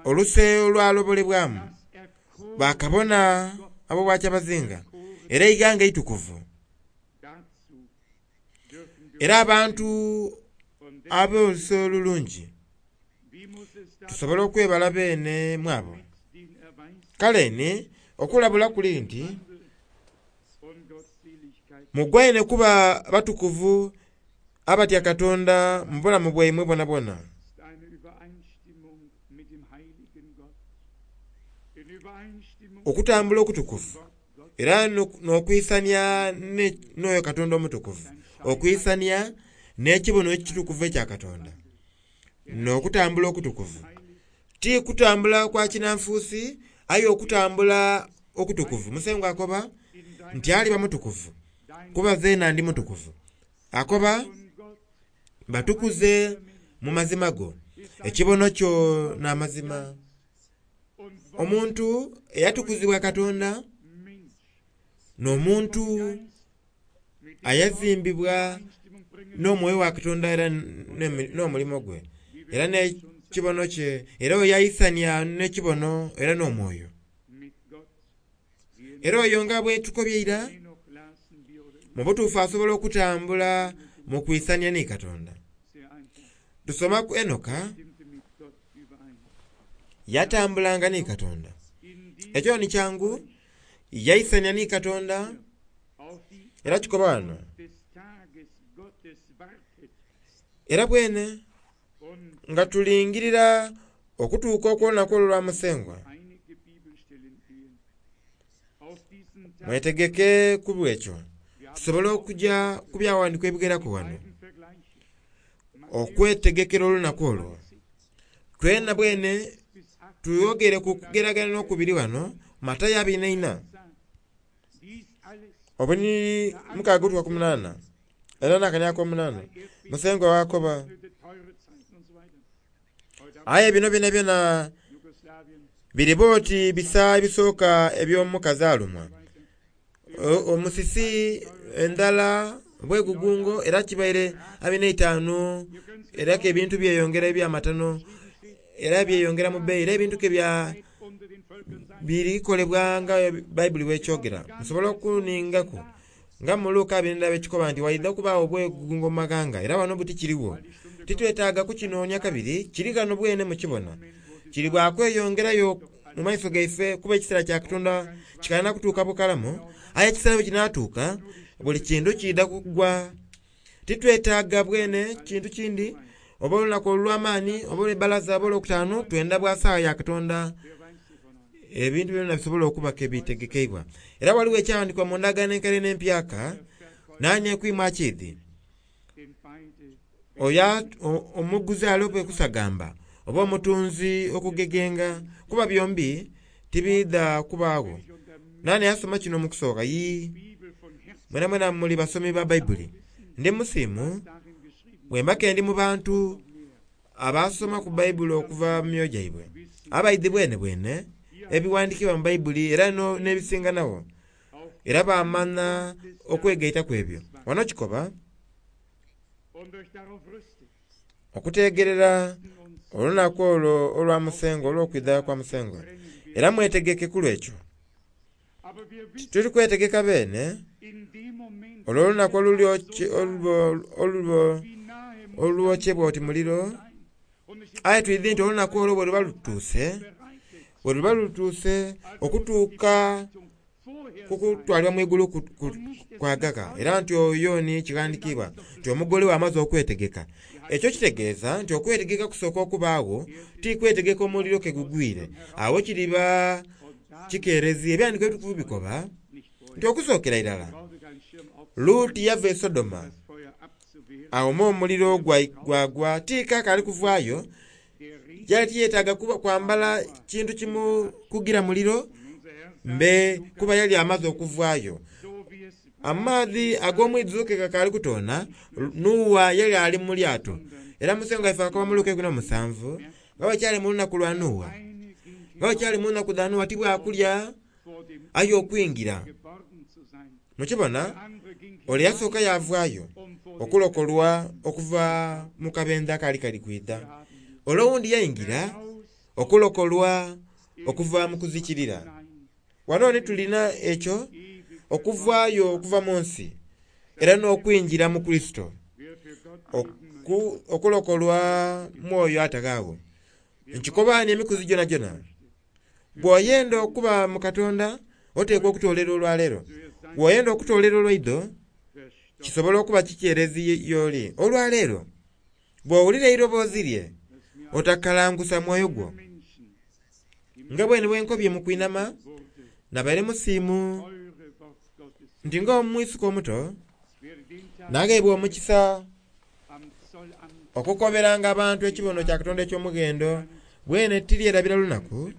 oluse olwalobolebwamu, bakabona ab'obwakyabazinga, era eighanga eitukuvu, era abantu ab'oluse olulungi, tusobole okwebala beene mu abo. Kale ni Okulabula kuli nti mugwaine kuba batukuvu abatya Katonda mu bulamu bwaimwe bwonabwona. Okutambula okutukuvu era n'okwisania n'oyo Katonda omutukuvu, okwisania n'ekibono ekitukuvu ekya Katonda n'okutambula okutukuvu. Ti kutambula kwa kinanfuusi aye okutambula okutukuvu. Musengwa akoba nti aliba mutukuvu kuba zeena ndi mutukuvu. Akoba batukuze mu mazima go, ekibono kyo n'amazima. Omuntu eyatukuzibwa Katonda n'omuntu ayazimbibwa n'omwoyo wa Katonda era n'omulimo gwe era n'ekibono kye, era oyo yaisania n'ekibono era n'omwoyo. Era oyo nga bwe tukobye ira, mu butuufu asobola okutambula mu kwisania ni Katonda. Tusoma ku Enoka, yatambulanga ni Katonda. Ekyo ni kyangu, yaisania ni Katonda era kikoba wano. Era bwene nga tulingirira okutuuka okw'olunaku olwo lwa Musengwa, mwetegeke ku bwekyo tusobole okujja ku byawandiikibwa ebigeraku wano okwetegekera olunaku olwo. Twena bwene tuyogere ku kugeragana n'okubiri wano Matayo 24 obuniri 6-8 era n'akanya ak'omunaana. Musengwa wakoba aye bino byona byona biriba oti bisa ebisooka eby'omukazi alumwa. Omusisi, endhala, obwegugungo era kibaire 25 era ke ebintu byeyongera ebyamatano era byeyongera mu bbeeyi era ebintu ke bya birikolebwa nga Bayibuli bwekyogera. Musobola okuningaku nga mu Luka 24 ekikoba nti waidha okubaawo obwegugungo mu maghanga era wano buti kiriwo. Titwetaaga kukinoonia kabiri, kiri ghano bwene mukibona. Kiri bwa kweyongerayo mu maiso gaife kuba ekiseera kya Katonda kikalina kutuuka bukalamu, aye ekiseera bwe kinaatuuka buli kintu kiidha kugwa. Titwetaaga bwene kintu kindi oba olunaku olw'amaani oba olw'ebbalaza oba olwokutaano, twenda bwa saawa ya Katonda ebintu byona bisobola okuba ke bitegekeibwa. Era waliwo ekyawandiikibwa mu ndagaano enkaire n'empyaka, nani ekwima akiidhi oyo omuguzi alobe kusagamba oba omutunzi okugegenga, kuba byombi tibiidha kubaagho. Nani yasoma kino mu kusooka? Yii, mwenamwena muli basomi ba Baibuli. Ndi musiimu bwemba ke ndi mu bantu abasoma ku Baibuli okuva mu myoyo gyaibwe, abaidhi bwenebwene ebiwandiikibwa mu Baibuli era n'ebisinganagho, era baamanha okwegaita ku ebyo. Wano kikoba okuteegerera olunaku olwo olwa Musengwa, olw'okwidha kwa Musengwa. Era mwetegeke ku lw'ekyo. Tituli kwetegeka beene olw'olunaku olwokyebwa oti muliro, aye twidhi nti olunaku olwo bwe luba lutuuse okutuuka ku kutwalibwa mu igulu kwagaka, era nti oyo ni kighandiikibwa nti omugole we amaze okwetegeka. Ekyo kitegeeza nti okwetegeka kusooka okubaagho ti kwetegeka omuliro ke gugwire. Agho kiriba kikeerezi. Ebyandiiko ebitukuvu bikoba nti okusookera irala Luti yava e Sodoma awoma omuliro gwagwa ti kaakaali kuvaayo. Yali tiyetaaga kwambala kintu kimukugira muliro mbe kuba yali amaze okuvaayo. Amaadhi ag'omwidhuzo ke gakaali kutoona, Nuuwa yali ali mu lyato. Era Musengwa waife akoba mu Luka 17 nga bwe kyali mu lunaku lwa Nuuwa, nga bwe kyali mu nnaku dha Nuuwa ti bwa kulya aye okwingira. Mukibona? Ole yasooka yaavaayo okulokolwa okuva mu kabendho akaali kali kwidha. Ole owundi yaingira okulokolwa okuva mu kuzikirira. Wano ni tulina ekyo, okuvaayo okuva mu nsi era n'okwingira mu Kurisito, okulokolwa mwoyo ataghaagho. Nkikoba ni emikuzi gyonagyona, bw'oyenda okuba mu Katonda, Oteekwa okutoolera olwaleero. Bw'oyenda okutoolera olwaidho, kisobola okuba kikyerezi y'oli. Olwaleero, bw'owulira eiroboozi lye, otakalangusa mwoyo gwo. Nga bwene bwe nkobye mu kwinama, nabaire musiimu nti ng'omwisuka omuto, nagheebwa omukisa okukoberanga abantu ekibono kya Katonda eky'omughendo. Bwene tiryerabira lunaku,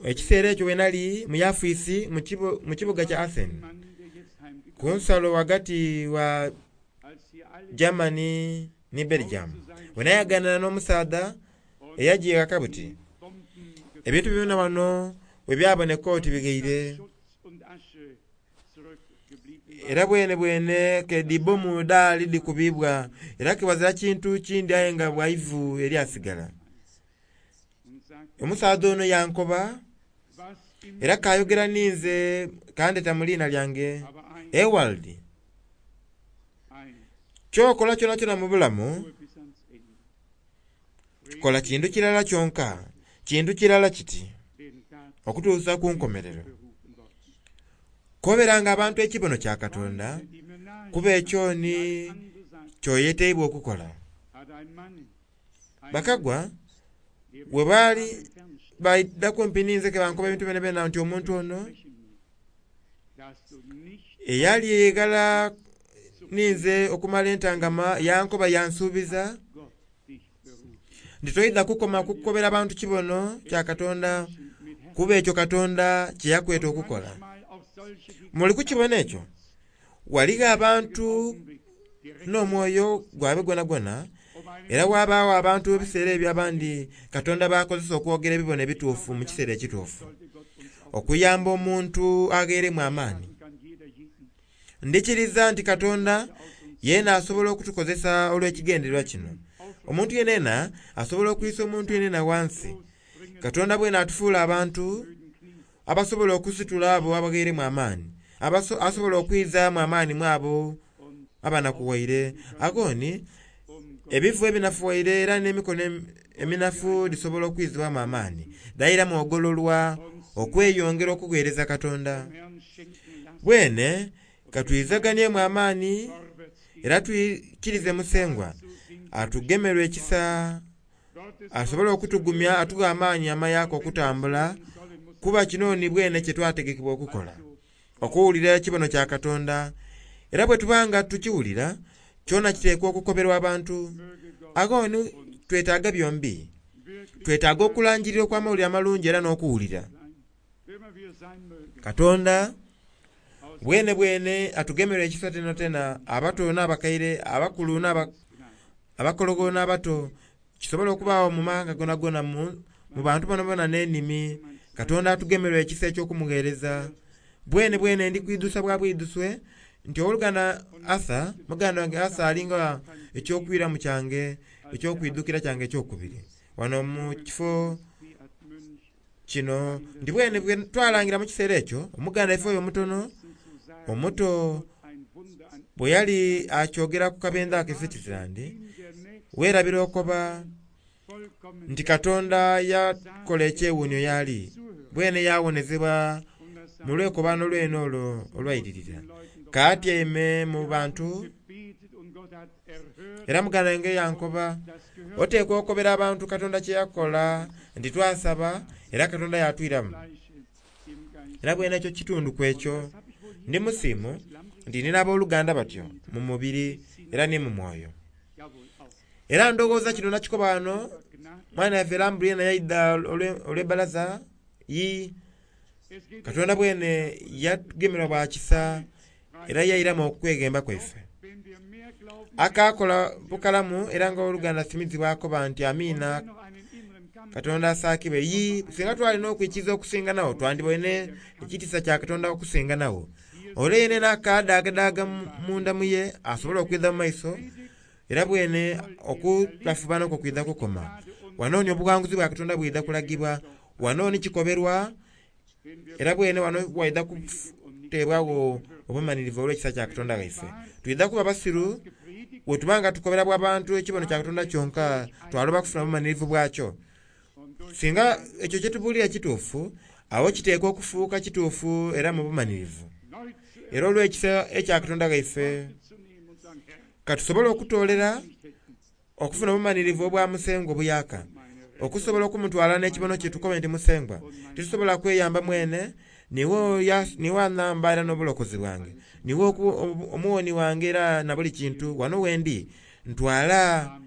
ekiseera ekyo bwe nali mu yafiisi mu kibuga kya Assen, ku nsalo ghagati wa Germany ni Belgium, bwe nayaganana n'omusaadha eyaja eghaka buti. Ebintu byona wano bwe byaboneka oti bighaire. Era bwenebwene ke dhi bbomu dhaali dhikubiibwa, era ke ghazira kintu kindi aye nga bwa ivu eryasigala. Omusaadha ono yankoba, era kaayogera ninze kandheta mu liina lyange, Ewald, ky'okola kyonakyona mu bulamu, kola kintu kirala kyonka, kintu kirala kiti, okutuusa ku nkomerero. Koberanga abantu ekibono kya Katonda, kuba ekyo ni ky'oyeteibwa okukola. Bakagwa bwe baali baidha kumpi ninze ke bankoba ebintu byonabyona nti omuntu ono eyali eghala ninze okumala entangama yankoba yansuubiza nti toidha kukoma kukobera bantu kibono kya Katonda kuba ekyo Katonda kye yakweta okukola. Muli kukibona ekyo? Ghaligho abantu n'omwoyo gwabwe gwonagwona, era ghabaagho abantu ebiseera ebyo abandi Katonda b'akozesa okwogera ebibono ebituufu mu kiseera ekituufu, okuyamba omuntu agheeremu amaani. Ndhikiriza nti Katonda yeena asobola okutukozesa olw'ekigendererwa kino. Omuntu yenayena asobola okwisa omuntu yenayena ghansi. Katonda bwene atufuula abantu abasobola okusitula abo abagheeremu amaani, asobola okwizaamu amaani mu abo abanakuwaire. Agho ni, ebifu ebinafuwaire era n'emikono eminafu dhisobola okwizibwamu amaani, dhairamu ogololwa okweyongera okugheereza Katonda. Bwene ka twizaganiemu amaani era twikirize Musengwa atugemerwe ekisa asobole okutugumya atughe amaani amayaaka okutambula, kuba kino ni bwene kye twategekebwa okukola, okuwulira ekibono kya Katonda. Era bwe tuba nga tukiwulira, kyona kiteekwa okukoberwa abantu. Agho ni twetaaga byombi. Twetaaga okulangirira okw'amawulire amalungi era n'okuwulira. Katonda bwenebwene atugemerwa ekisa tenatena, abato n'abakaire, abakulu abakologho n'abato, kisobola okubaagho mu maghanga gonagona, mu bantu bonabona n'enimi. Katonda atugemerwa ekisa eky'okumugheereza. Bwenebwene ndi kwidhusa bwa bwidhuswe nti owoluganda Arthur, muganda wange Arthur ali nga eky'okwiramu kyange, eky'okwidhukira kyange eky'okubiri wano mu kifo kino. Nti bwene bwe twalangira mu kiseera ekyo, omuganda waife oyo omutono omuto bwe yali akyogera ku kabendhe ako e Switzerland, weerabira okoba nti Katonda yakola ekyewuunhio y'ali, bwene yawonezebwa mu lwekobaano lwene olwo olwairirira. Kaatyaime mu bantu, era muganda wange yankoba, oteekwa okobera abantu Katonda kye yakola, nti twasaba era Katonda yatwiramu. Era bwene ekyo kitundu ku ekyo. Ndi musiimu nti nina abooluganda batyo mu mubiri era ni mu mwoyo. Era ndowooza kino nakikoba ghano, mwana yaife Lambri yena yaidha olw'ebbalaza. Yii, Katonda bwene yatugemerwa bwa kisa era yairamu okweghemba kwaife. Akaakola bukalamu era nga owoluganda Smith bw'akoba nti amiina, Katonda asaakibwe. Yii, singa twali n'okwikiriza okusinganagho, twandiboine ekitiisa kya Katonda okusinganagho. Ole yenayena akaadaagadaaga munda mu ye asobola okwidha mu maiso, era bwene okulafubana okwo kwidha kukoma. Wano ni obughanguzi bwa Katonda bwidha kulagibwa, wano ni kikoberwa, era bwene wano waidha kuteebwagho obumanhirivu olw'ekisa kya Katonda ghaife. Twidha kuba basiru bwe tuba nga tukobera bwa bantu ekibono kya Katonda kyonka, twaloba kufuna bumanhirivu bwakyo. Singa ekyo kye tubuulira kituufu, Awo kiteekwa okufuuka kituufu era mu bumanirivu. Era olw'ekisa ekya Katonda ghaife, katusobole okutoolera okufuna obumanirivu obwa Musengwa obuyaka, okusobola okumutwala n'ekibono kye tukobe nti Musengwa titusobola kweyamba mwene, niwe anamba era n'obulokozi bwange, niwe omuwoni wange era na buli kintu wano wendi ntwala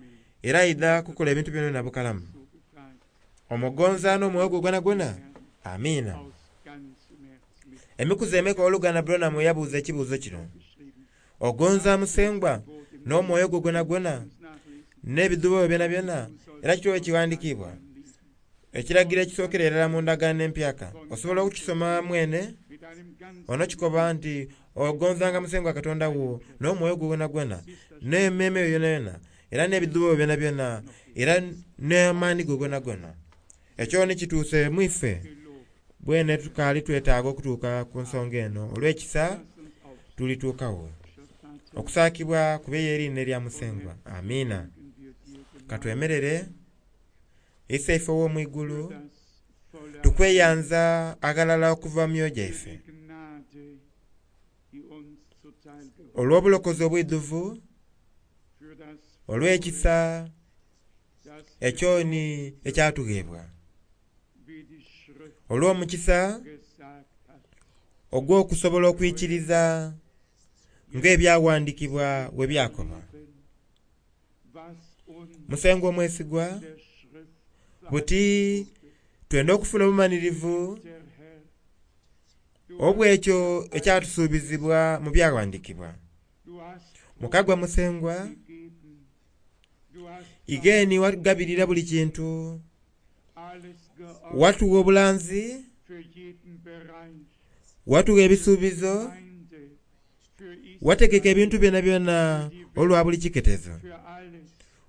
era aidha kukola ebintu byona bukalamu. Omugonza n'omwoyo gwo gwonagwona. Amiina. Emikuzi emeka oluganda Branham yabuuza ekibuuzo kino? Ogonza Musengwa n'omwoyo gwo gwonagwona n'ebidhuubo byona byona? Era kityo ekiwandiikibwa ekiragiro ekisookera irala mu ndagaano empyaka. Osobola okukisoma mwene ono kikoba nti ogonzanga Musengwa Katonda wo n'omwoyo gwo gwonagwona n'emmeeme yo yonayona era n'ebidhuubo byona byona era n'amaani go gonagona. Ekyo ni kituuse mu ife bwene tukaali twetaaga okutuuka ku nsonga eno. Olw'ekisa tulituukawo. Okusaakibwa kube y'eriina erya Musengwa. Amiina. Katwemerere. Iseife ow'omu igulu, tukweyanza aghalala okuva mu myoyo gyaife olw'obulokozi obwidhuvu, olw'ekisa ekyoni ekyatugheebwa, olw'omukisa ogw'okusobola okwikiriza ng'ebyawandiikibwa bwe byakoba. Musengwa omwesigwa, buti twenda okufuna obumanirivu obw'ekyo ekyatusuubizibwa mu byawandiikibwa. Mukagwa Musengwa, igeni watugabirira buli kintu, watuwa obulanzi, watuwa ebisuubizo, wategeka ebintu byona byona olwa buli kiketezo,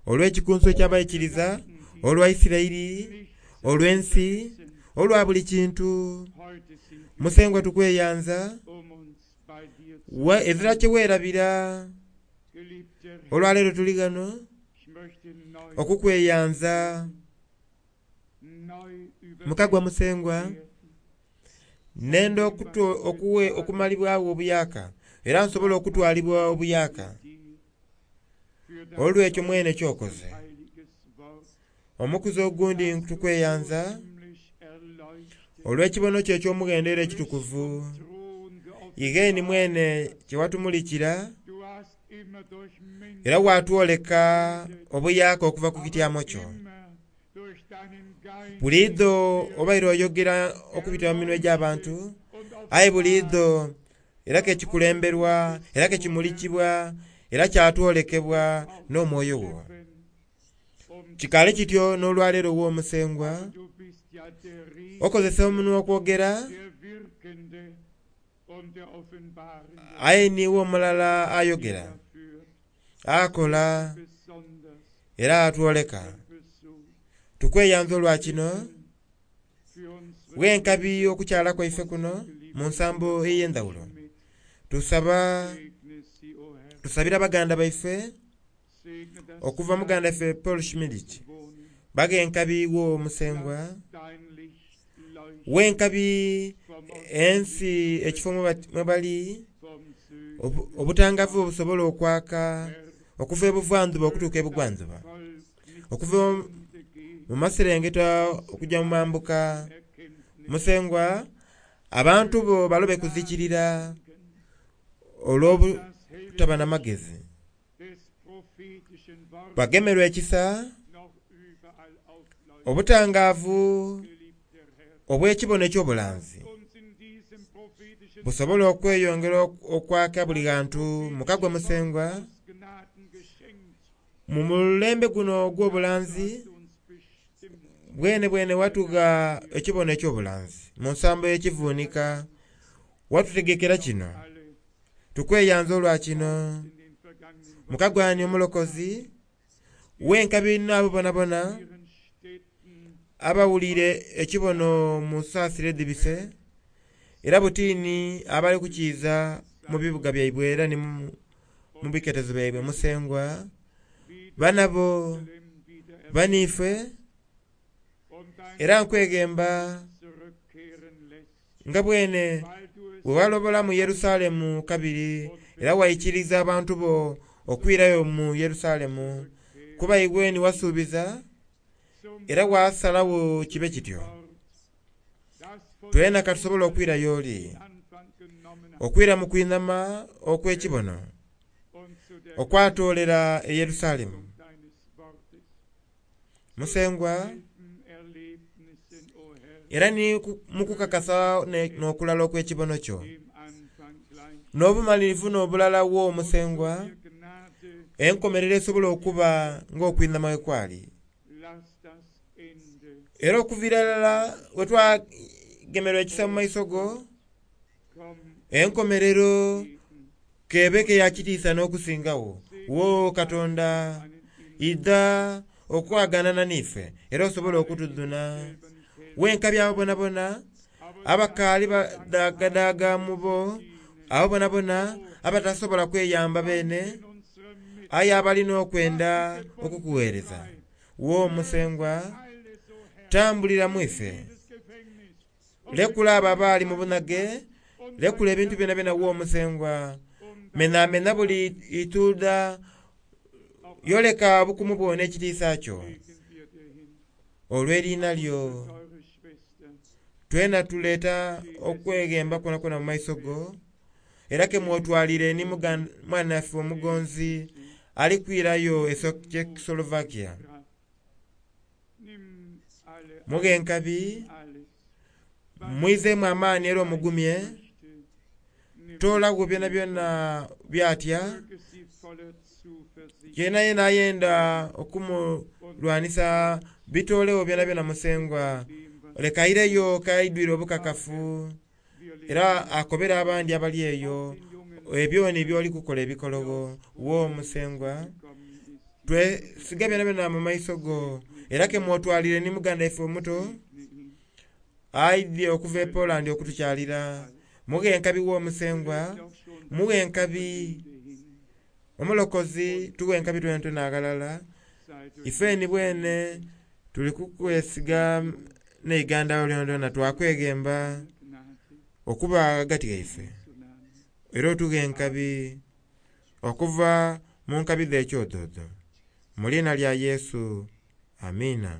olw'ekikunsu eky'abaikiriza, olwa Isiraeli, olw'ensi, olwa buli kintu. Musengwa tukweyanza, ezira kye weerabira. Olwaleero tuli ghano okukweyanza. Mukagwa Musengwa, nenda okumalibwagho obuyaka era nsobola okutwalibwa obuyaka olw'ekyo mwene kyokoze. Omukuzi ogundi tukweyanza olw'ekibono kyo eky'omughendo era ekitukuvu, igeni mwene kye watumulikira era watwoleka obuyaka okuva ku kityamo kyo. Buliidho obaire oyogera okubita mu minwe egy'abantu, aye buliidho era kekikulemberwa era kekimulikibwa era kyatwolekebwa n'omwoyo wo. Kikaale kityo n'olwaleero w'Omusengwa, okozesa omunwa okwogera, aye niiwe omulala ayogera, akola era atwoleka. Tukweyanza olwa kino, bwenkabi okukyala kwaife kuno mu nsambo ey'endhawulo. Tusaba tusabira baganda baife okuva muganda waife Paul Schmidt, bag'enkabi wo Musengwa, wenkabi ensi ekifo mwe bali, obutangavu obusobola okwaka okuva ebuvandhuba okutuuka ebugwandhuba, okuva mu maserengeta okujja mu mambuka. Musengwa, abantu bo balobe kuzikirira olw'obutaba na magezi. Bagemerwe ekisa, obutangaavu obw'ekibono eky'obulanzi busobola okweyongera okwaka buli ghantu. Mukagwa Musengwa, mu mulembe guno ogw'obulanzi bwene bwene watugha ekibono eky'obulanzi mu nsambo y'ekivuunika, watutegekera kino. Tukweyanza olwa kino. Mukagwani omulokozi, wenkabi n'abo bonabona abawulire ekibono mu saasira edhibise, era butiini abali kukiiza mu bibuga byaibwe era ni mu biketezo byaibwe. Musengwa, banabo baniife era nkweghemba. Nga bwene bwe walobola mu Yerusalemu kabiri era waikiriza abantu bo okwirayo mu Yerusalemu, kuba iwe ni wasuubiza era wasalagho kibe kityo. Twena ka tusobole okwira y'oli, okwira mu kwinhama okw'ekibono okwatoolera e Yerusalemu. Musengwa, era ni mu kukakasa n'okulala okw'ekibono kyo, n'obumalirivu n'obulala wo Musengwa, enkomerero esobola okuba ng'okwinhama bwe kwali. Era okuviira irala we twagemerwa ekisa mu maiso go, enkomerero k'ebe ke ya kitiisa n'okusingagho. Wo Katonda, idha okwaganana n'ife era osobole okutudhuna. Wenka byabo bonabona abakaali badaagadaaga mu bo, abo bonabona abatasobola kweyamba beene, aye abalina okwenda okukuweereza. Wo Musengwa, tambulira mu ife. Lekula abo abaali mu bunhage, lekula ebintu byonabyona wo Musengwa. Menamena buli ituudha, yoleka obukumu bwo n'ekitiisa kyo olw'eriina lyo. Twena tuleeta okweghemba kwonakwona mu maiso go, era ke mwotwalire ni mwanaife omugonzi ali kwirayo e Czechoslovakia. Mughe enkabi, mwizeemu amaani era omugumye, toolagho byonabyona byatya, yenayena ayenda okumulwanisa bitoolegho byonabyona Musengwa. Leka aireyo k'aidhwire obukakafu era akobere abandi abali eyo ebyo ni by'oli kukola ebikologho. Wo Musengwa, twesiga byonabyona mu maiso go, era ke mwotwalire ni muganda ife omuto aidhye okuva e Poland okutukyalira. Mughe enkabi wo Musengwa, mughe enkabi omulokozi, tughe enkabi twenatwena aghalala. Ife ni bwene tuli kukwesiga n'eigandalo lyonalyona, twakweghemba okuba ghagati ghaife era otughe enkabi okuva mu nkabi dh'ekyododo. Mu liina lya Yesu, amiina.